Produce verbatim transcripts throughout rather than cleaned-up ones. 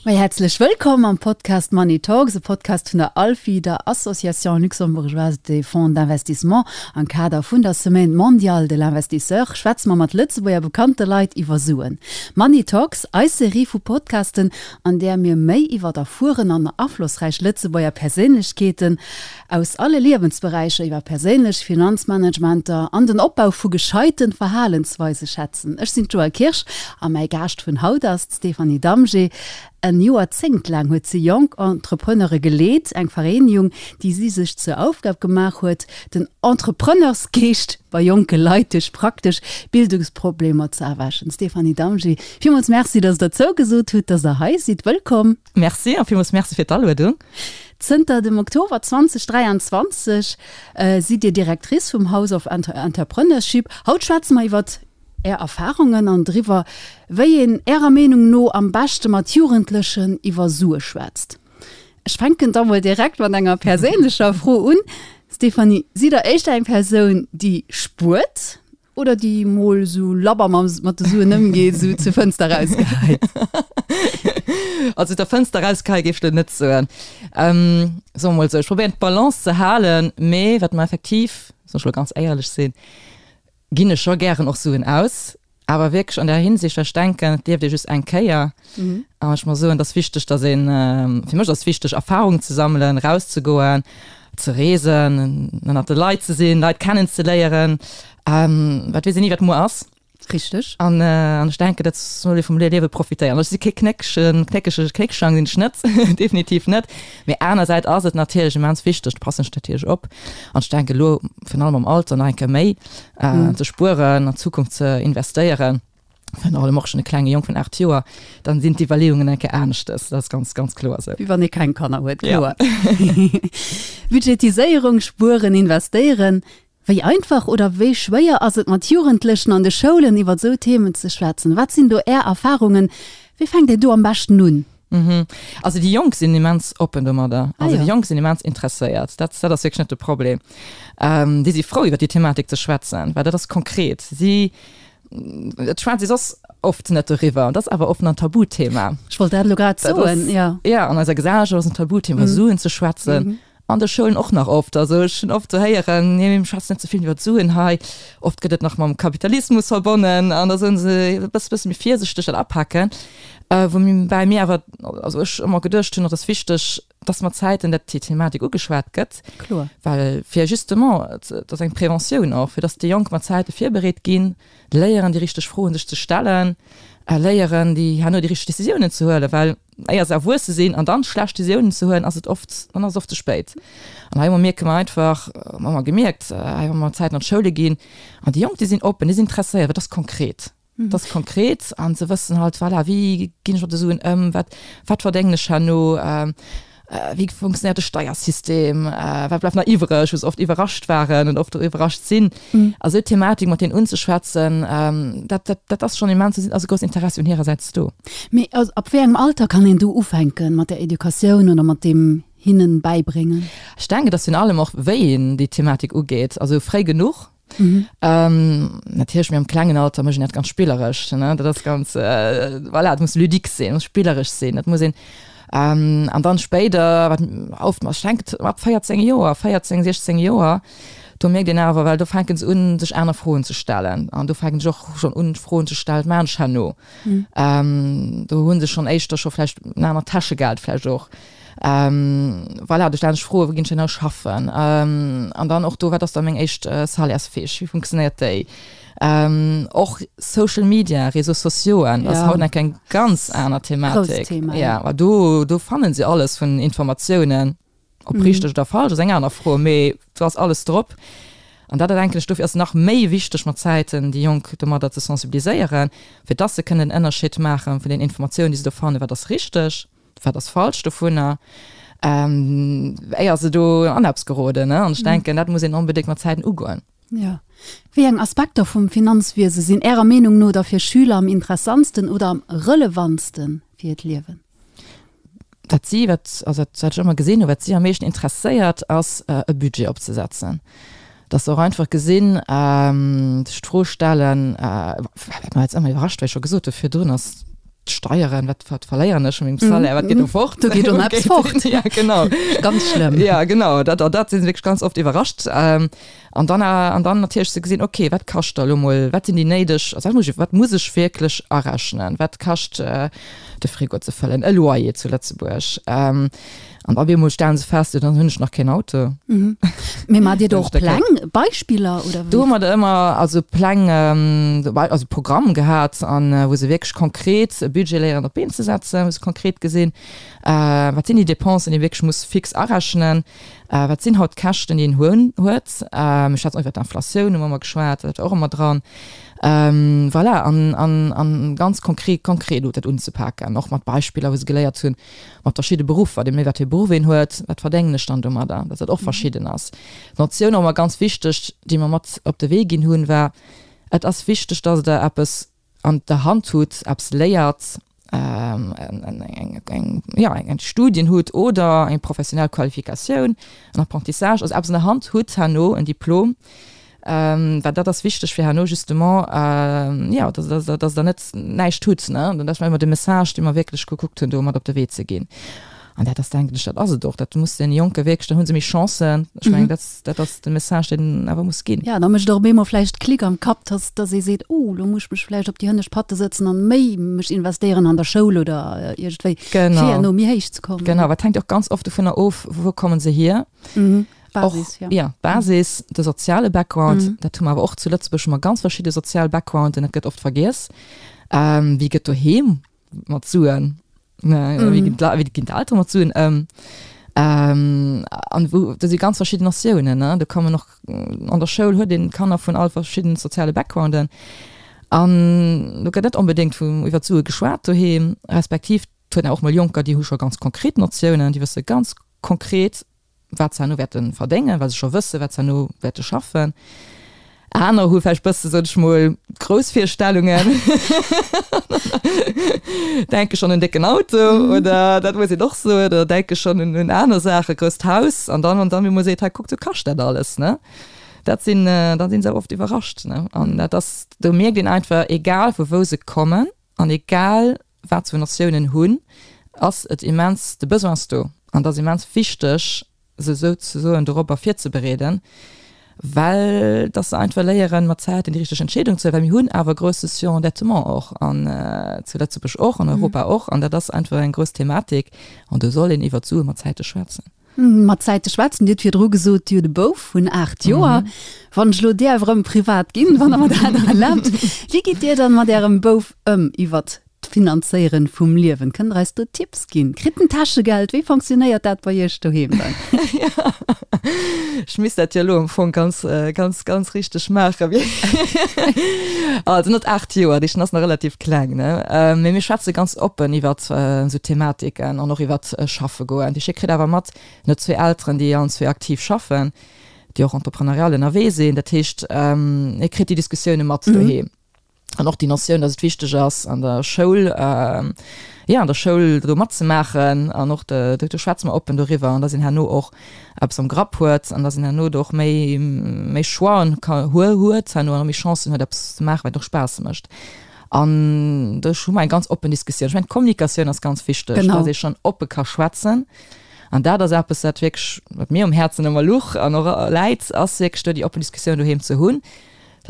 Mei häerzlech wëllkomm am Podcast Money Talks, e Podcast vun der ALFI, der Association luxembourgeoise des fonds d'investissement. Am Kader vun der Semaine mondiale de l'investisseur schwätze mer mat Lëtzebuerger bekannte Leit iwwer Suen. Money Talks, eis Serie vu Podcasten, an där mir méi iwwer erfueren an aflossräich Lëtzebuerger Perséinlechkeeten aus alle Liewensberäicher iwwer perséinlech Finanzmanagementer an den Opbau vu gescheite Verhalensweise schwätzen. Ech sinn d'Joëlle Kirsch a mäi Gaascht vun haut ass d'Stéphanie Damgé. En Joerzéngt laang huet si jonk Entrepreneure geleet, eng Vereenegung, déi si sech zur Aufgab gemaach huet, den Entrepreneursgeescht bei jonke Leit duerch praktesch Bildungsproblemer ze erwächen. Stéphanie Damgé, villmools Merci, dass Der zougesot hutt, dass Der hei sidd. Wëllkomm! Merci a villmools Merci fir d'Aluedung. Zënter dem Oktober zweitausendräianzwanzeg sidd Dir Directrice vum House of Entrepreneurship. Haut schwätze mer iwwert Är Erfarungen an driwwer, wéi een Ärer Meenung no am beschte mat Jugendlechen iwwer Sue schwätzt. Ech fänken da mol direkt mat enger perséinlecher Fro un. Stéphanie, sidd Der éischter eng Persoun, déi spuert oder déi mol sou labber mat de Suen ëmgeet, sou zur Fënster erausgeheit? Also zur Fënster erausgeheit géif ech elo net soen. Soe mer mol sou, ech probéieren d'Balance ze halen, mee wat mer effektiv, soll ech elo ganz éierlech sinn, ginn ech scho gären och Suen aus, awer wierklech an der Hinsicht, well ech denken, et lieft ee just eng Kéier. An ech muss soen, et ass wichteg, datt een, fir mech ass et wichteg, Erfahrung ze sammelen, erauszegoen, ze reesen, ënnert de Leit ze sinn, Leit kennenzeléieren, wat weess een ni, wat muer ass. Richteg. An ech denken, dat soll ee vum Liewe profitéieren. Ech si kee knéckegen, knéckege Knéckschang sinn ech net, definitiv net. Mee anersäits ass et natierlech immens wichteg, do passen ech natierlech op, an ech denken elo virun allem am Alter nach eng Kéier méi, ze spueren, an d'Zukunft ze investéieren. Virun allem och schonn e klenge Jong vun aacht Joer, dann sinn d'Iwwerleeungen eng Kéier aneschtes. Dat ass ganz, ganz kloer esou. Wéi wann ee keng Kanner huet, kloer. Budgetiséierung, spueren, investéieren. Wéi einfach oder wéi schwéier ass et mat Jugendlechen an de Schoulen iwwer esou Themen ze schwätzen? Wat sinn do Är Erfarungen? Wéi fänkt een do am beschten un? Also déi Jonk sinn immens oppen domadder. Also déi Jonk sinn immens interesséiert. Dat dat ass wierklech net de Problem. Déi si frou iwwer déi Thematik ze schwätzen, well dat ass konkret. Si et schwätzt ee soss oft net doriwwer. Dat ass awer oft en Tabuthema. Ech wollt dat elo grad soen, jo. Jo, an eiser Gesellschaft ass en Tabuthema Suen ze schwätzen. An de Schoulen och nach oft. Also ech hunn oft ze héieren, nee mir schwätzen net ze vill iwwer d'Suen hei. Oft gëtt et nach mam Kapitalismus verbonnen an da soen se e bësse bësse méi virsichteg dat apaken. Woubäi mir awer, also ech ëmmer geduecht hunn, et ass wichteg, dass mat Zäiten dat déi Thematik ugeschwat gëtt. Kloer. Well fir justement, et ass eng Preventioun och, fir dass déi Jonk mat Zäite virbereet ginn, léieren déi richteg Froen sech ze stellen, léieren déi herno déi richteg Décisiounen ze huelen, well éier se erwuesse sinn an dann schlecht Décisiounen ze huelen, ass et oft, dann ass et oft ze spéit. An hei mierke mer einfach, hu mer gemierkt, hei wa mer Zäiten an d'Schoule ginn, an déi Jonk déi sinn oppen, déi sinn interesséiert, well et ass konkret, et ass konkret an se wëssen halt, voilà, wéi ginn ech mat de Suen ëm, wat, wat verdéngen ech herno, wéi funktionéiert de Steiersystem, wat bleift nach iwwreg, wou se oft iwwerrascht waren an oft och iwwerrascht sinn. A sou Thematik mat deenen unzeschwätzen, dat, dat, dat ass schonn immens, do ass e groussen Interessi un hirersäits do. Mee ab wéi engem Alter kann een do ufänken mat der Educatioun oder mat deem hinnen bäibréngen? Ech denken, et ass virun allem och, wéi een déi Thematik ugeet, also fréi genuch. Natierlech, mir am klengen Alter mécht een dat ganz spilleresch, ne, dat ass ganz, voilà, dat muss ludique sinn, muss spilleresch sinn, dat muss een, an dann spéider, wat oft, ech denken ab véierzéng Joer, véierzéng, siechzéng Joer, do mierkt een awer, well do fänke se un, sech aner Froen ze stellen an do fänken sech och schonn un, Froen ze stellen, wat maachen ech herno? Do hu se schonn éischter scho vläicht en anert Täschegeld vläicht och. Voilà, do stellen sech Froen, wou ginn ech herno schaffen? An dann och do, wat ass da meng éischt Salairesfiche, wéi funktionéiert déi? Och Social Media, Réseaux sociauxen, ass haut nach eng ganz aner Thematik. Ja, well do, do fannen se alles vun Informatiounen, ob richteg oder falsch ass eng aner Fro, mee do ass alles drop. An dat denken ech, dofir ass et nach méi wichteg mat Zäiten déi Jonk domadder ze sensibiliséieren, fir dass se kënnen den Ënnerscheed maache vun den Informatiounen, déi se do fannen, wat ass richteg, wat ass falsch dovunner, éier se do an eppes geroden. An ech denken, dat muss een onbedéngt mat Zäiten ugoen. Jo. Wéi eng Aspekter vum Finanzwiese sinn Ärer Meenung no da fir Schüler am interessantsten oder am relevantste fir hiert Liewen? Wat si, wat, also dat wat ech ëmmer gesinn hunn, wat si am meeschten interesséiert, ass e Budget opzesetzen. Dass se och einfach gesinn, sech d'Fro stellen, wat mer jetzt ëmmer iwwerrascht, wéi ech scho gesot hu virdrun, ass, D'Steieren, wat wat verléieren ech vu mengem Salaire, wat geet do fort? Do geet do eppes fort. Ja, genau. Ganz schlëmm. Ja, genau. Dat, dat si se wierklech ganz oft iwwerrascht. An dann, an dann natierlech ze gesinn, okay, wat kascht da lo mol, wat sinn déi néideg, also wat muss ech, wat muss ech wierklech arechnen, wat kascht de Frigo ze fëllen, e Loyer zu Lëtzebuerg. An op eemol stellen se fest, jo, dann hunn ech nach keen Auto. Mhm. Mee maacht Dir do och Pläng, Beispiller oder wéi? Do hu mer da ëmmer also Pläng, also Programm gehat, an wou se wierklech konkret e Budget léieren op d'Been ze setzen, wou se konkret gesinn, wat sinn déi Dépensen, déi ee wierklech muss fix arechnen, wat sinn haut d'Käschten, déi een hunn, huet. Mir schwätzen och iwwer d'Inflatioun, hu mer ëmmer geschwat, dat war och ëmmer dran. Voilà, an, an, an ganz konkret, konkret dat unzepaken, och mat Beispiller, wou se geléiert hunn, mat verschidde Beruffer, deemno wat fir e Beruff een huet, wat verdéngen ech dann domadder, dass dat och verschidden ass. D'Notioun och ëmmer ganz wichteg, déi mer mat op de Wee ginn hunn, war, Et ass wichteg, dass Der eppes an der Hand hutt, eppes léiert, eng, eng, jo, eng Studien hutt oder eng professionell Qualifikatioun, en Apprentissage, also eppes an der Hand hutt herno, en Diplom, Well dat ass wichteg fir herno justement, jo, dass Der, dass Der net näischt hutt, ne. An dat war ëmmer de Message, dee mer wierklech gekuckt hunn, do mat op de Wee ze ginn. An dat ass, denken ech, dat ass et och. Dat muss deene Jonke wierklech, dann hu se méi Chancen. Ech mengen, dat, dat ass de Message, deen awer muss ginn. Jo, da mécht och op eemol vläicht Klick am Kapp, dass, dass ee seet, Oh, lo muss ech mech vläicht op déi hënnescht Patte sëtzen an méi mech investéieren an der Schoul oder iergendwéi, fir herno méi héich ze kommen. Genau, dat hänkt och ganz oft dovunner of, wou komme se hier. Basis, och, ja. Ja, d'Basis, de soziale Background, mm. dat hu mer awer och zu Lëtzebuerg hu mer ganz verschidde sozial Backgrounden, dat gëtt oft vergiess. Ähm, wéi gëtt doheem mat Suen, ne, mm. wéi ginn wéi ginn d'Eltere mat Suen ëm? Ähm, an wou, do si ganz verschidden Notiounen, ne? Do kommen och an der Schoul huet een Kanner vun all verschiddenen soziale Backgrounden. An do gëtt net onbedéngt vu iwwer d'Sue geschwat doheem, respektiv et huet een och mol Jonker, déi hu scho ganz konkret Notiounen, déi wësse ganz konkret, wat se herno wäerte verdéngen, well se scho wëssen, wat se herno wäerte schaffen. Aner hu vläicht bësse, sot ech mol, grouss Virstellungen, denke schonn un décken Auto oder dat muss een och soen, oder denke schonn un un aner Saachen, grousst Haus. An dann, an dann, wéi mol seet, hei kuckt, sou kascht dat alles, ne? Dat sinn, da si se awer oft iwwerrascht, ne? An dat ass, do mierkt een einfach, egal vu wou se kommen an egal wat se vu Notiounen hunn, ass et immens, de Besoin ass do an et ass immens wichteg, se souzesoen dorobber virzebereeden, well dass se einfach léieren, mat Zäiten déi richteg Entscheedung ze huelen, well mir hunn awer e grousse Surendettement och an zu Lëtzebuerg och, an Europa och, an dat ass einfach eng grouss Thematik an do soll een iwwert d'Sue mat Zäite schwätzen. Mat Zäite schwätzen, Dir hutt virdru gesot, Dir hutt e Bouf vun aacht Joer. Wann ech elo däerf erëm privat ginn, wann Der mer dat erlaabt, wéi gitt Dir dann mat Ärem Bouf ëm iwwert D'Finanzéieren vum Liewen, kënnt der eis do Tipps ginn? Kritt en Täschegeld? Wéi fonctionnéiert dat bei iech doheem dann? Ech misst dat jo elo am Fong ganz, ganz, ganz richteg maachen. Also net aacht Joer, dee ass nach relativ kleng, ne? Mee mir schwätze ganz oppen iwwert esou Thematiken an och iwwert schaffe goen. Dee kritt awer mat, en huet zwee Elteren, déi allen zwee aktiv schaffen, déi och entrepreneurial ënnerwee sinn. Dat heescht, e kritt déi Diskussioune mat doheem. An och déi Notioun, dass et wichteg ass, an der Schoul, jo, an der Schoul do matzemaachen an och de, do schwätze mer oppen doriwwer an dass een herno och eppes am Grapp huet an dass een herno do och méi, méi Choixen ka huet herno an och méi Chancen huet, eppes ze maachen, wat och Spaass mécht. An do hu mer eng ganz oppen Diskussioun. Ech mengen, d'Kommunikatioun ass ganz wichteg, dass ee schonn oppe ka schwätzen. An dat ass eppes, wat wierklech, wat mir um Häerzen ëmmer luch an och läit, ass wierklech do déi oppen Diskussioun doheem ze hunn.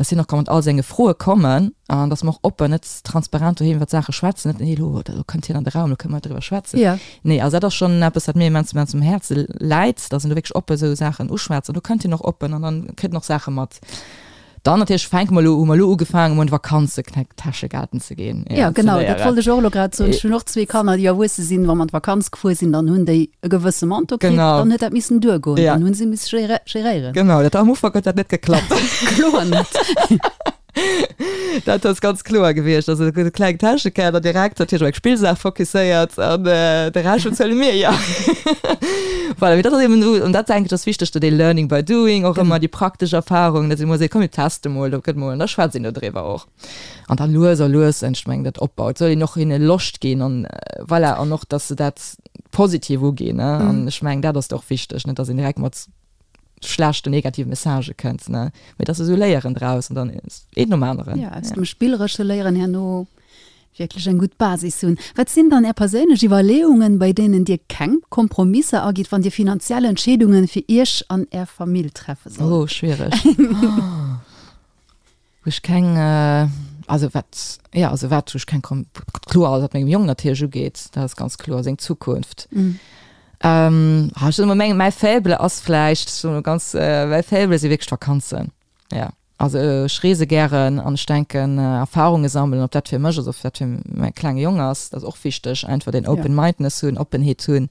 dass hien och ka mat all senge Froe kommen an dass mer och oppen, net transparent doheem iwwer d'Saache schwätzen, net nee elo elo kënnt hien an de Raum, elo kënne mer driwwer schwätzen. Ja. Nee, also dat ass schonn eppes, wat mir immens, immens um Häerze läit, dass een do wierklech oppe esou Saachen uschwätzt an do kënnt hien och oppen an dann kritt en och Saache mat. Dann natierlech fänke mer elo, hu mer elo ugefaangen, emol an d'Vakanze Täschegelten ze ginn. Ja, genau, dat wollt ech och elo grad soen. Ech hunn och zwee Kanner, déi erwuesse sinn. Wa mer an d'Vakanz gefuer sinn, dann hunn déi e gewësse Montant kritt, Genau. dann huet dat missen duergoen, Ja. dann hunn se misse geréieren. Genau, dat am Ufank huet dat net geklappt. Kloer net. Dat ass ganz kloer gewiescht. Also e kleng Täschekeller direkt, natierlech op eng Spillsaach fokusséiert an de Rescht bezuele mir jo. Voilà, mee dat ass eben esou, an dat denken ech ass wichteg, do dee Learning by doing och ëmmer, déi praktesch Erfahrung, datt ee mol seet, komm mir teste mol, do gëtt mol, an da schwätzt een do driwwer och. An da lues a lues, ech mengen, dat opbaut, soll een och hinne Loscht ginn an voilà, an och, datt se dat positiv uginn, ne. An ech mengen, dat ass och wichteg, net datt een direkt mat schlechten, negative Messagë kënnt, ne, mee datt se esou léieren draus an dann een nom aneren. Jo, aus dem Spilleresche léieren herno Wierklech eng gutt Basis hunn. Wat sinn dann Är perséinlech Iwwerleeungen, bei deenen Dir keng Kompromisser agitt, wann Dir finanziell Entscheedungen fir Iech an Är Famill treffe sollt? Oh, schwiereg. Wou ech keng, also wat, jo, also wat, wou ech keng Kom-, kloer, alles wat mengem Jong natierlech ugeet, dat ass ganz kloer, seng Zukunft. Ähm, ech soen emol, meng, mäi Faible ass vläicht, ech soen emol ganz, mäi Faible si wierklech d'Vakanzen, jo. Also ech reese gären an ech denken, Erfarunge sammelen, ob dat fir mech ass, ob dat fir mäi klenge Jong ass, dat ass och wichteg, einfach deen Open-Mindness hunn, Oppenheet hunn.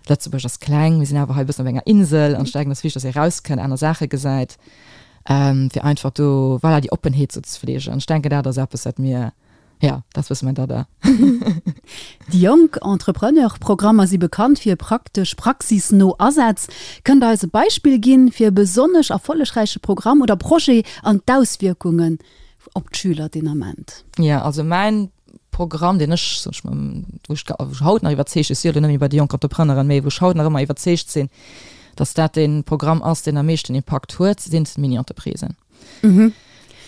Lëtzebuerg ass kleng, mir sinn awer hei e bëssen op enger Insel an ech denken, et ass wichteg, dass ee rauskënnt, aner Saache gesäit, fir einfach do, voilà, déi Oppenheet sou ze fleegen. Ech denken, dat ass eppes, wat mir Ja, dat ass bësse mäin Dada. Déi jonk Entrepreneur-Programmer si bekannt fir praktesch, praxisno Asätz. Kënnt Der eis e Beispill ginn fir e besonnesch erfollegräiche Programm oder Projet an d'Auswierkungen op d'Schüler deen Ament? Jo, also mäin Programm, deen ech, sot ech mol, wou ech haut nach iwwerzeegt, ech si jo elo net méi bei de Jonk Entrepreneuren, mee wou ech haut nach ëmmer iwwerzeegt sinn, datt dat dee Programm ass, deen am meeschten Impakt huet, sinn d'Mini-Entreprisen.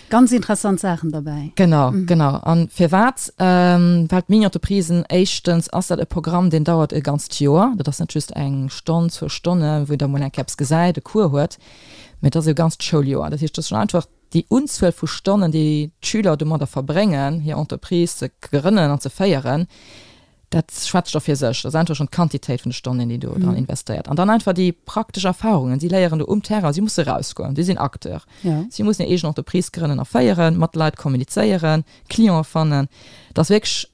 Ganz interessant Saachen derbäi. Genau, genau. A firwat? Well d'Mini-Entreprisen, éischtens ass dat e Programm, deen dauert e ganzt Joer. Dat ass net just eng Stonn, zwou Stonnen, wou een da mol eng Kéier eppes gesäit, e Cours huet, mä et ass e ganzt Schouljoer. Dat heescht, et ass schonn einfach déi Unzuel vu Stonnen, déi d'Schüler domadder verbréngen, hir Entreprise ze grënnen an ze féieren, Dat schwätzt scho fir sech. Dat ass einfach schonn d'Quantitéit vun de Stonnen, déi do dran investéiert. An dann einfach déi praktesch Erfahrungen. Si léieren do um Terrain, si musse rausgoen, si sinn Acteur. Si mussen hir eegen Entreprise grënnen a féieren, mat Leit kommunizéieren, Cliente fannen. Dat ass wierklech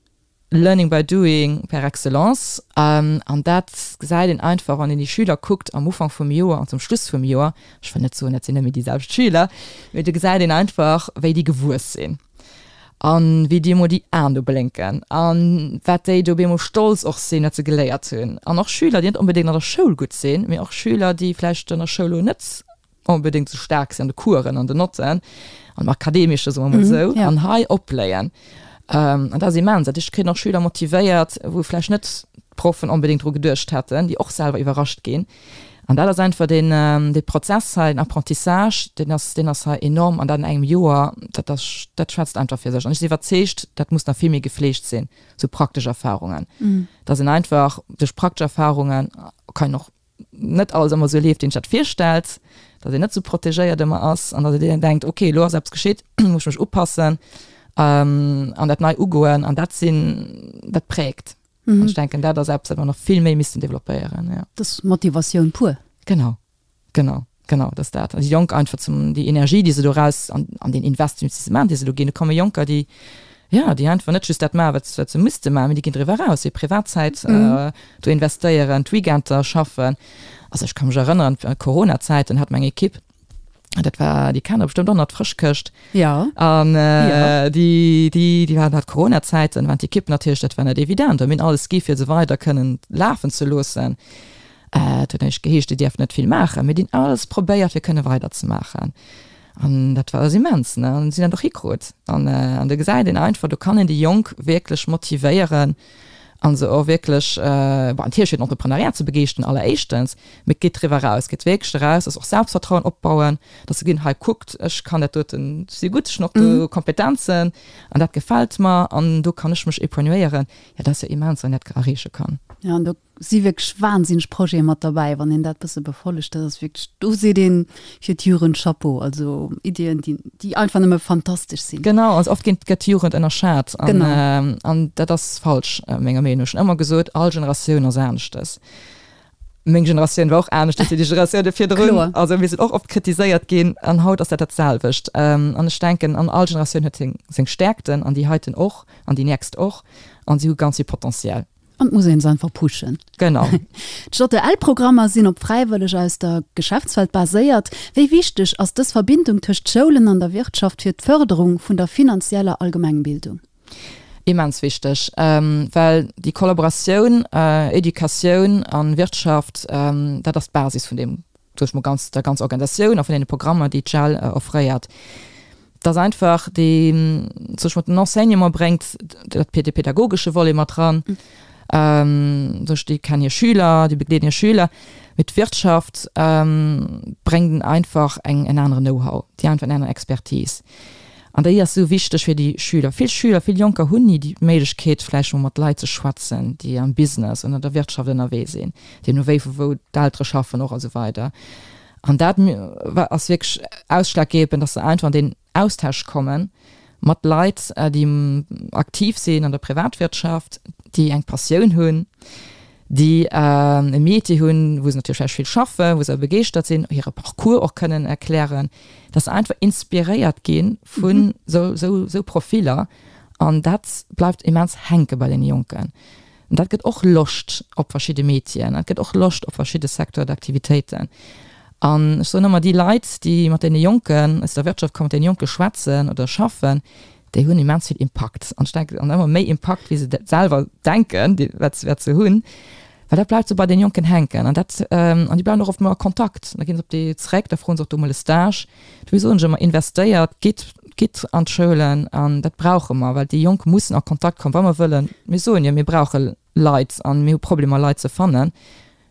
Learning by doing par excellence. An dat gesäit een einfach, wann een déi Schüler kuckt am Ufank vum Joer an zum Schluss vum Joer. Ech wëll net soen, dat sinn net méi déi selwecht Schüler, mee do gesäit een einfach, wéi déi gewuess sinn. An wéi déi emol déi Aen do blénken an wat déi do op eemol stolz och sinn, wat se geléiert hunn. An och Schüler, déi net onbedéngt an der Schoul gutt sinn, mee och Schüler, déi vläicht an der Schoul elo net onbedéngt esou staark sinn an de Coursen, an den Notten, an dem Akadeemesche, soe mer emol esou, an hei opbléien. An dat ass immens. Dat heescht, et kritt een och Schüler motivéiert, wou vläicht net d'Proffen onbedéngt dru geduecht hätten, déi och selwer iwwerrascht ginn. An dat ass einfach deen, dee Prozess hei, den Apprentissage, deen ass, deen ass hei enorm an dat an engem Joer, dat ass, dat schwätzt einfach fir sech. An ech sinn iwwerzeegt, dat muss nach vill méi gefleegt sinn, sou praktesch Erfahrungen, dass een einfach duerch praktesch Erfahrungen, kann een och net alles ëmmer esou leeft, wéi een sech dat virstellt, dass een net esou protegéiert ëmmer ass an dass een denkt, okay, elo ass eppes geschitt, muss ech mech upassen an dat nei ugoen an dat sinn, dat prägt. Mhm. An ech denken, dat ass eppes, wat mer nach vill méi missten developpéieren. Ja. Dat ass Motivatioun pur. Genau, genau, genau, dat ass dat. An déi Jonk einfach zum, déi Energie, déi se do raus, an, an deen Investissement, dee se do ginn, do komme Jonker, déi, ja, déi einfach net just dat maachen, wat, wat se misste maachen, mee déi ginn driwwer eraus, hir Privatzäit mhm. äh, do investéieren, d'Weekender schaffen. Also ech ka mech erënneren, Corona-Zäiten hat meng Ekipp, Dat war, déi kennen der bestëmmt och nach, d'Frëschkëscht. Ja. An äh, ja. déi, déi, déi waren hat Corona-Zäiten, waren d'Ekipp natierlech, dat war net evident. Mir hunn alles gi fir se weider kënnen lafen ze loossen. Äh, et huet näischt geheescht, déi dierften net vill maachen. Mir hunn alles probéiert fir kënne weiderzemaachen. An dat war ass immens, ne? An si hunn dat och hikrut. An, äh, an do gesäit een einfach, do kann een déi Jonk wierklech motivéieren an se och wierklech, äh, bon, natierlech fir den Entreprenariat ze begeeschteren alleréischtens, mee et geet driwwer eraus, et geet wierklech eraus, dass och Selbstvertrauen opbauen, dass se ginn, hei kuckt, ech kann dat doten, ech si gutt, ech hunn och do Kompetenzen an dat gefält mer an do kann ech mech épanouieren. Jo, dat ass jo immens, wann een dat erreeche kann. Jo, an do si wierklech wahnsinneg Projete mat derbäi, wann een dat bësse befollegt, dat ass wierklech, do seet een fir d'Jugend Chapeau, also Iddien, déi, déi einfach nëmme fantastesch sinn. Genau, also oft ginn, gëtt d'Jugend ënnerschat an, an dat ass falsch menger Meenung no. Ech hunn ëmmer gesot, all Generatioun ass aneschtes. Meng Generatioun war och aneschtes wéi déi Generatioune virdrun, also mir sinn och oft kritiséiert ginn an haut ass dat dat selwecht. An ech denken, an all Generatioun huet seng, seng Stäerkten an déi heiten och an déi nächst och an si hu ganz vill Potential. An et muss een se einfach pushen. Genau. D'JL-Programmer sinn op Fräiwëlleg aus der Geschäftswelt baséiert. Wéi wichteg ass dës Verbindung tëscht Schoulen an der Wirtschaft fir d'Fërderung vun der finanzieller Allgemengbildung? Immens wichteg, well déi Kollaboratioun Educatioun a Wirtschaft, dat ass d'Basis vun deem, soe ech mol, ganz, der ganzer Organisatioun a vun deene Programmer, déi d'JEL offréiert. Dass einfach déi, soe ech mol, den Enseignement bréngt dat, dee pädagogesche Volet mat ran, soe ech, déi kennen hir Schüler, déi begleeden hir Schüler, mee d'Wirtschaft bréngt einfach eng, en aneren Know-how, déi einfach eng aner Expertise. An déi ass esou wichteg fir déi Schüler. Vill Schüler, vill Jonker hunn ni déi Méiglechkeet, vläicht mol mat Leit ze schwätzen, déi am Business an an der Wirtschaft ënnerwee sinn, deemno wéi vu wou d'Eltere schaffen och a sou weider. An dat ass wierklech ausschlaggebend, dass se einfach an deen Austausch komme mat Leit, déi aktiv sinn an der Privatwirtschaft, déi eng Passioun hunn, déi e Métier hunn, wou se natierlech vläicht vill schaffen, wou se awer begeeschtert sinn, hire Parcours och kënnen erklären, dass se einfach inspiréiert gi vun esou Profiller. An dat bleift immens hänke bei deene Jonken. An dat gëtt och Loscht op verschidde Métieren, dat gëtt och Loscht op verschidde Secteurs d'activitéiten. An ech soen ëmmer, déi Leit, déi mat deene Jonken aus der Wirtschaft kommen, mat deene Jonke schwätzen oder schaffen, déi hunn immens vill Impakt. An ech denken, an ëmmer méi Impakt, wéi se selwer denken, wat se, wat se hunn, well dat bleift esou bei deene Jonken hänken. An dat, an déi bleiwen och oft mol a Kontakt. Da ginn se op déi zréck, da froen se och do mol e Stage. Dofir soen ech ëmmer, investéiert, gitt, gitt an d'Schoulen an dat brauche mer, well déi Jonk mussen a Kontakt kommen, wa mer wëllen, mir soen jo, mir brauche Leit an mir hu Problemer Leit ze fannen,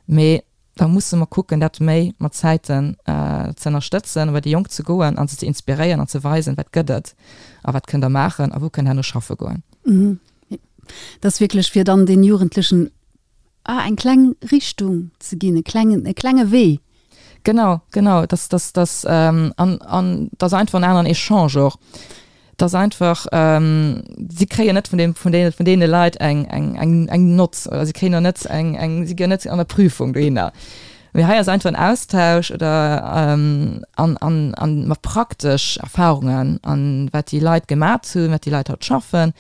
mee da musse mer kucken, dat méi mat Zäiten ze ënnerstëtzen, bei déi Jonk ze goen a se ze inspiréieren an ze weisen, wat gëtt et a wat kënnt Der maachen a wou kënnt Der herno schaffe goen. Dat ass wierklech fir dann den Jugendlechen eng kleng Richtung ze ginn, e klengen, e klenge Wee. Genau, genau, dass, dass, dass, an, an dass einfach en aneren Echange och. Dass einfach, si kréien net vun deem, vun deene, vun deene Leit eng, eng, eng, eng Nott oder si kréien och net eng, eng, si ginn net an der Prüfung dohinner. Mee hei ass einfach en Austausch oder an, an, an mat praktesch Erfahrungen an wat déi Leit gemat hunn, wat déi Leit haut schaffen.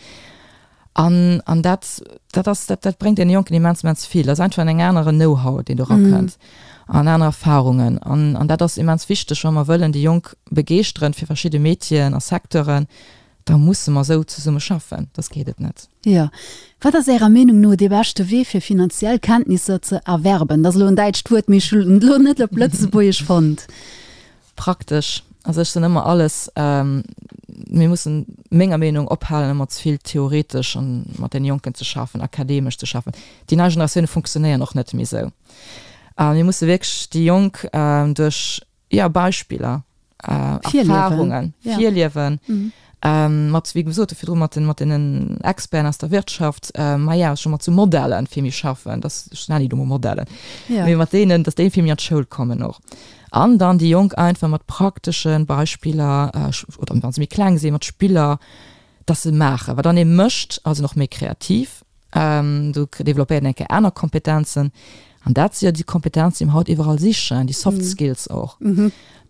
An, an dat, dat ass, dat, dat bréngt deene Jonken immens, immens vill. Dat ass einfach en aneren Know-how, deen do erakënnt an aner Erfahrungen. An, an dat ass immens wichteg, wa mer wëllen déi Jonk begeeschteren fir verschidde Métieren a Secteuren, da musse mer esou zesumme schaffen, soss geet et net. Jo. Wat ass Ärer Meenung no dee beschte Wee fir finanziell Kenntnisser ze erwerben? Dat ass elo en däitscht Wuert, mee ech hunn et elo net op Lëtzebuergesch fonnt. Praktesch. Also ech soen ëmmer alles, mir mussen menger Meenung ophalen ëmmer ze vill theoretesch an mat den Jonken ze schaffen, akademesch ze schaffen. Déi nei Generatioune funktionéieren och net méi esou. A mir musse wierklech déi Jonk duerch, jo, Beispiller, Erfahrungen, Virliewen, mat, wéi gesot virdru, mat den, mat deenen Experten aus der Wirtschaft, maja, scho mat sou Modellen vill méi schaffen, dass, ech nennen déi elo mol Modellen, mee mat deenen, dass déi vill méi an d'Schoul kommen och. An dann déi Jonk einfach mat praktesche Beispiller, oder wa se méi kleng sinn, mat Spiller, dass se maachen. Well dann ee mécht, ass en och méi kreativ, do developpéiert en eng Kéier aner Kompetenzen. An dat si jo déi Kompetenzen, déi mer haut iwwerall sichen, déi Soft Skills och.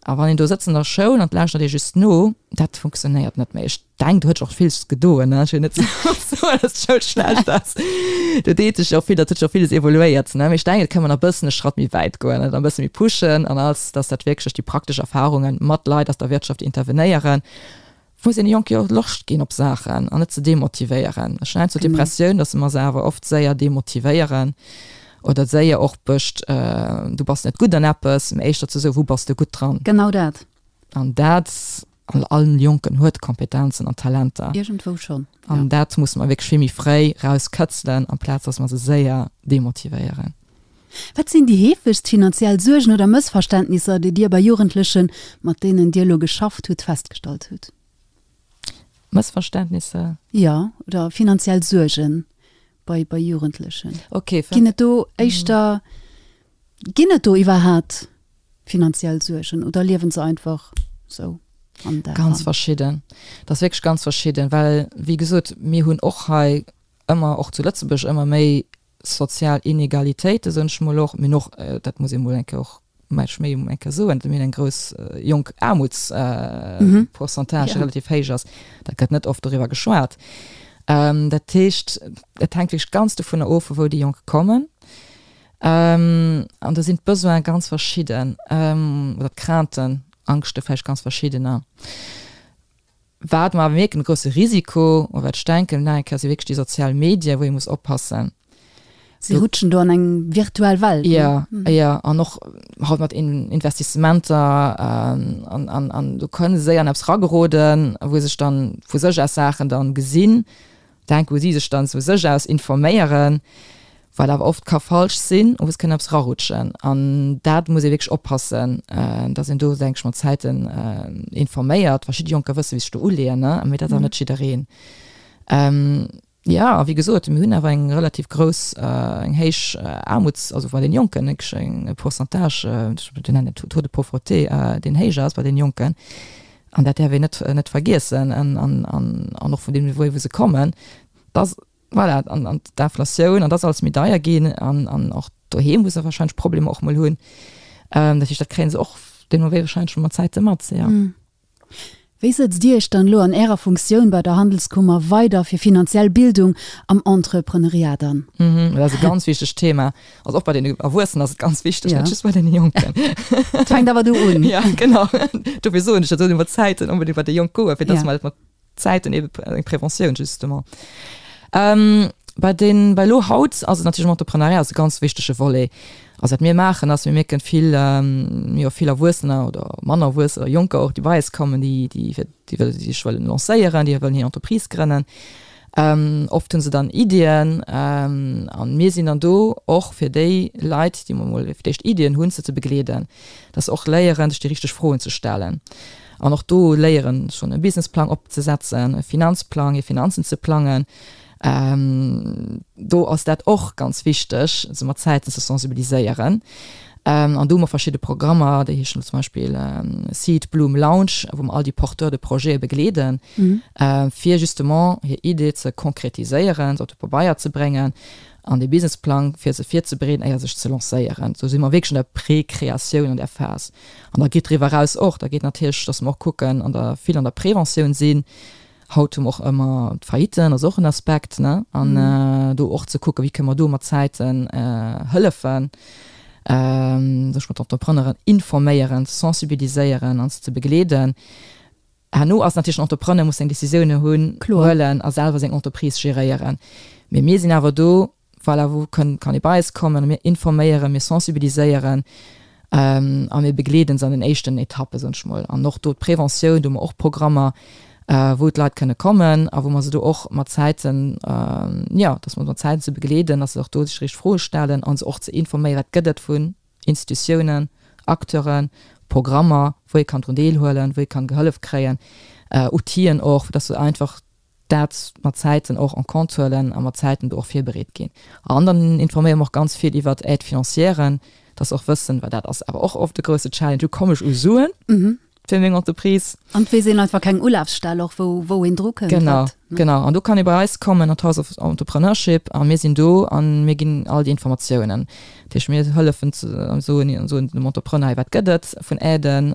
A wann een do sëtzt an der Schoul an et lauschtert ee just no, dat funktionéiert net méi. Ech denken, do huet sech och villes gedoen, ne? Ech wëll net soen, dass d'Schoul schlecht ass. Do deet sech jo och vill, dat huet sech och villes evoluéiert, ne? Mee ech denken, et kënne mer nach e bëssen e Schratt méi wäit goen, et e bësse méi pushen an alles, dass dat wierklech duerch déi praktesch Erfahrungen mat Leit aus der Wirtschaft, déi intervenéieren, muss een de Jonke jo och Loscht ginn op Saachen an net ze demotivéieren. Ech hunn heiansdo d'Impressioun, dass mer se awer oft séier demotivéieren oder séier och bëscht, du bass net gutt an eppes, mä éischter ze soen, wou bass de gutt dran? Genau dat. An dat, an all Jonken huet Kompetenzen an Talenter. Iergendwou schonn, ja. An dat musse mer wierklech vill méi fréi rauskëtzelen, amplaz dass mer se séier demotivéieren. Wat sinn déi heefegst finanziell Suergen oder Mëssverständnisser, déi Dir bei Jugendlechen, mat deenen Dir elo geschafft hutt, festgestallt hutt? Mëssverständnisser? Jo, oder finanziell Suergen bei, bei Jugendlechen. Okay. Ginn et do éischter, ginn et do iwwerhaapt finanziell Suergen oder liewen se einfach sou an der? Ganz verschidden. Dat ass wierklech ganz verschidden, well wéi gesot, mir hunn och hei ëmmer, och zu Lëtzebuerg, ëmmer méi sozial Inegalitéiten, soen ech mol och, mir hunn och, dat muss ee mol eng Kéier och mech méi eng Kéier soen, mir hunn eng grouss jonk Aarmutspourcentage, déi relativ héich ass, dat gëtt net oft doriwwer geschwat. Dat heescht, et hänkt wierklech ganz dovunner of, vu wou déi Jonk kommen. An do sinn d'Besoine ganz verschidden, oder d'Crainten, Angschte vläicht ganz verschiddener. Wat mer awer mierken, e grousse Risiko, oder wat ech denken, nach eng Kéier, si wierklech déi sozial Medien, wou ee muss oppassen. Si rutschen do an eng virtuell Welt, ne? Jo, jo, an och haut mat Investissementer, an, an, an do kënne se séier an eppes erageroden, wou sech dann vu sech aus Saachen dann gesinn, denken, wou si sech dann vu sech aus informéieren, Wat awer oft ka falsch sinn, oder es kënn eppes rarutschen. An dat muss ee wierklech oppassen, dass een do, denke ech, mat Zäiten informéiert. Verschidde Jonker wësse wéi sech do uleeën, ne, mee dat ass awer net jiddereen. Jo, a wéi gesot, mir hunn awer eng relativ grouss, eng héich Aarmuts-, also bei den Jonken, wierklech e Pourcentage, ech nennen et Taux de pauvreté, deen héich ass bei den Jonken. An dat däerf een net, net vergiessen. An, an, an och vun deem Niveau, wou se kommen, dass, voilà, an, an d'Inflatioun, an dass alles méi deier ginn an, an och doheem, wou se wahrscheinlech Problemer och mol hunn. Dat heescht, dat kréie se och deemno wéi wahrscheinlech mat Zäite mat, jo. Wéi sëtzt Dir Iech dann elo an Ärer Funktioun bei der Handelskummer weider fir finanziell Bildung am Entrepreneuriat an? Dat ass e ganz wichtegt Thema. Also och bei den Erwuessenen ass et ganz wichteg, net just bei den Jonken. Et fänkt awer do un. Ja, genau. Dofir soen ech, dat soll iwwer Zäiten onbedéngt bei déi Jonk goen, fir dass mer dat mat Zäiten ebe eng Preventioun justement. Bei den, bei elo haut ass et natierlech am Entrepreneuriat ass e ganz wichtege Volet. Also wat mir maachen ass, mir mierken vill, jo vill Erwuessener oder manner Erwuessener oder Jonker och, déi bei eis kommen, déi, déi fir, déi wëlle sech wëllen lancéieren, déi wëllen hir Entreprise grënnen. Oft hu se dann Iddien an mir sinn dann do och fir déi Leit, déi emol fir d'éischt Iddien hunn, se ze begleeden, dass se och léieren, sech déi richteg Froen ze stellen an och do léieren, schonn e Businessplang opzesetzen, e Finanzplang, hir Finanzen ze plangen. Do ass dat och ganz wichteg, se mat Zäiten ze sensibiliséieren. An do hu mer verschidde Programmer, déi heeschen zum Beispill Seed, Bloom, Launch, wou mer all déi Porteurs de projets begleeden, fir justement hir Idee ze konkretiséieren, se op de Pabeier ze bréngen an dee Businessplang, fir se virzebereeden, éier sech ze lancéieren. Do si mer wierklech an der Précréatioun, an där Phas. An da geet driwwer eraus och, da geet natierlech, datt mer och kucken an der, vill an der Preventioun sinn. Haut hu mer och ëmmer d'Failliten, ass och en Aspekt, ne? An do och ze kucken, wéi kënne mer do mat Zäiten hëllefen, sech mat Entrepreneuren informéieren, ze sensibiliséieren an se ze begleeden. Herno ass natierlech den Entrepreneur muss seng Décisioune hunn, huelen a selwer seng Entreprise geréieren. Mee mir sinn awer do, voilà, wou kënn, kann ee bei eis kommen a mir informéieren, mir sensibiliséieren a mir begleeden se an den éischten Etappen, soen ech mol. An och do d'Preventioun, do hu mer och Programmer, wou d'Leit kënne kommen a wou mer se do och mat Zäiten, jo, dass mer mat Zäiten se begleeden, dass se och do sech richteg Froe stellen a se och ze informéieren, wat gëtt et vun Institutiounen, Acteuren, Programmer, wou ee kann drun deelhuelen, wou ee kann Gehëllef kréien, Outiller och, dass se einfach dat mat Zäiten och en compte huelen a mat Zäiten do och virbereet ginn. An dann informéiere mer och ganz vill iwwert Aide-financièren, dass se och wëssen, well dat ass awer och oft e grousse Challenge, wou komme ech u Suen fir meng Entreprise? An et weess een einfach keng Ulafstell och, wou, wou een dru kënnt. Genau, genau. An do kann ee bei eis kommen an d'House of Entrepreneurship a mir sinn do a mir ginn all déi Informatiounen. Dat heescht, mir hëllefen ze soen, soen dem Entrepreneur, hei wat gëtt et vun Aiden,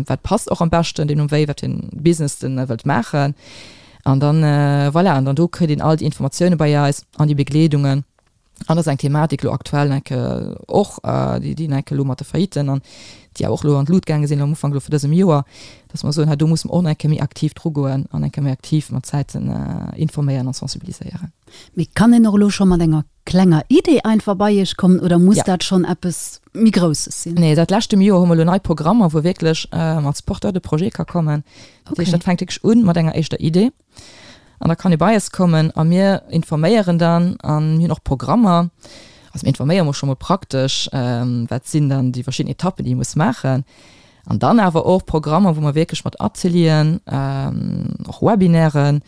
wat passt och am beschten deemno wéi, wat fir en Business den wëllt maachen. An dann, voilà, an dann do kritt een all déi Informatioune bei eis an déi Begleedungen. An dat ass eng Thematik elo aktuell enke och, déi déi enke elo mat de Failliten an déi awer och elo an d'Lut gaange sinn am Ufank elo vu dësem Joer, dass mer soen, hei do musse mer och nach eng Kéier méi aktiv drugoen an eng Kéier méi aktiv mat Zäiten informéieren a sensibiliséieren. Mee kann een och elo scho mat enger klenger Idee einfach bei Iech kommen oder muss dat schonn eppes méi Grousses sinn? Nee, säit leschtem Joer hu mer elo nei Programmer, wou wierklech als Porteur de projet ka kommen. Dat heescht, dat fänkt wierklech un mat enger éischter Idee. An da kann ee bei eis kommen a mir informéieren dann an mir hunn och Programmer. Also mir informéiere mol scho mol praktesch, wat sinn dann déi verschidden Etappen, déi ee muss maachen. An dann awer och Programmer, wou mer wierklech mat Atelieren, och Webinairen,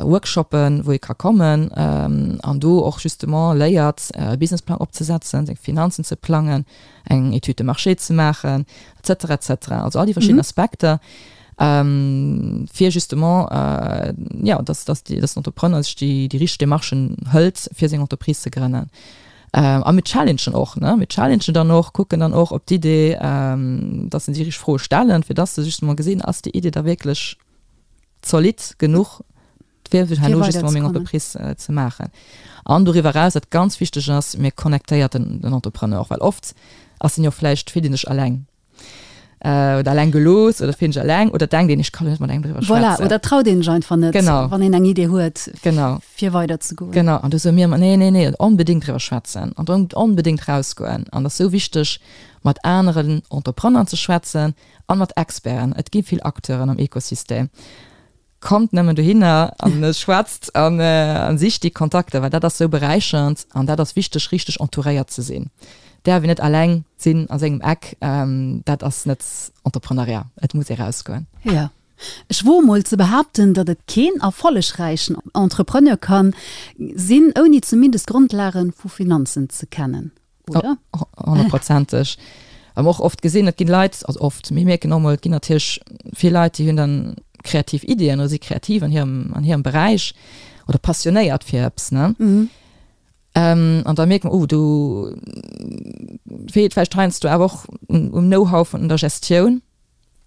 Workshoppen, wou ee ka kommen an do och justement léiert, e Businessplang opzesetzen, seng Finanzen ze plangen, eng Étude de marché ze maachen, et cetera, et cetera. Also all déi verschidden Aspekter. Fir justement, jo, dass, dass déi, dass den Entrepreneur sech déi, déi richteg Demarchen hëlt, fir seng Entreprise ze grënnen. A mir challengen och, ne, mir challengen dann och, kucken dann och, ob d'Idee, dass se déi richteg Froe stellen, fir dass se justement gesinn, ass déi Idee da wierklech zolidd genuch, fir herno justement meng Entreprise ze maachen. An doriwwer eraus, wat ganz wichteg ass, mir connectéiert den, den Entrepreneur och, well oft ass en jo vläicht, fillt en sech eleng. Oder eleng gelooss oder fillt sech eleng oder denkt een, ech kann net mat engem driwwer schwätzen. Voilà, oder traut een sech einfach net, genau. wann een eng Idee huet, genau. fir weiderzegoen. Genau, an du soe mir ëmmer, nee, nee, nee, onbedéngt driwwer schwätzen an onbedéngt rausgoen. An et ass esou wichteg, mat aneren Entrepreneuren ze schwätzen a mat Experten. Et gi vill Acteuren am Ekosystem. Kommt nëmmen dohinner an schwätzt an an sicht déi Kontakter, well dat ass sou beräichernd an dat ass wichteg, richteg entouréiert ze sinn. Däerf een net alleng sinn a sengem Eck, dat ass net Entrepreneuriat, et muss ee rausgoen. Jo. Ech woe mol ze behaapten, datt et keen erfollegräichen Entrepreneur kann sinn, ouni zumindest d'Grondlage vu Finanzen ze kennen, oder? Honnertprozenteg. Well mer och oft gesinn, et ginn Leit, also oft, mir mierken och mol, et ginn natierlech vill Leit, déi hunn dann kreativ Iddien oder si kreativ an hirem, an hirem Beräich oder passionéiert fir eppes, ne? An da mierkt mer, oh, do feelt vläicht heiansdo awer och um Know-how vun der Gestioun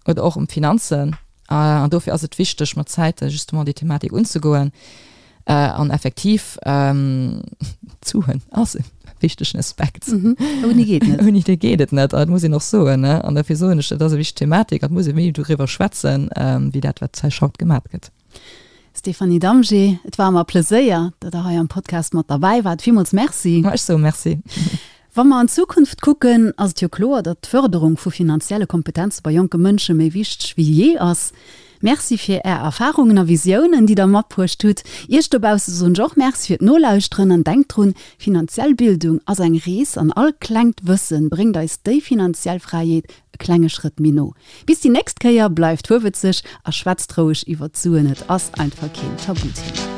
oder och um Finanzen. An dofir ass et wichteg, mat Zäite justement déi Thematik unzegoen. An effektiv, d'Suen ass e wichtegen Aspekt. Ouni geet net. Ouni dee geet et net, dat muss een och soen. An dofir soen ech, dat ass e wichteg Thematik an et muss ee méi doriwwer schwätzen, wéi dat, wat hei haut gemat gëtt. Stéphanie Damgé, et war mer e Pleséier, datt Der hei am Podcast mat derbäi waart. Villmools Merci. Ma ech soe Merci. Wa mer an d'Zukunft kucken, ass et jo kloer, datt d'Fërderung vu finanzielle Kompetenze bei jonke Mënsche méi wichteg wéi jee ass. Merci fir Är Erfarungen a Visiounen, déi Der matbruecht hutt. Iech dobausse soen ech och Merci fir d'Nolauschteren an denkt drun, Finanziell Bildung ass eng Rees an all klengt Wëssen bréngt eis déi finanziell Fräiheet e klenge Schrëtt méi no. Bis déi nächst Kéier, bleift fuerwëtzeg a schwätzt roueg iwwer d'Suen, et ass einfach keen Tabuthema.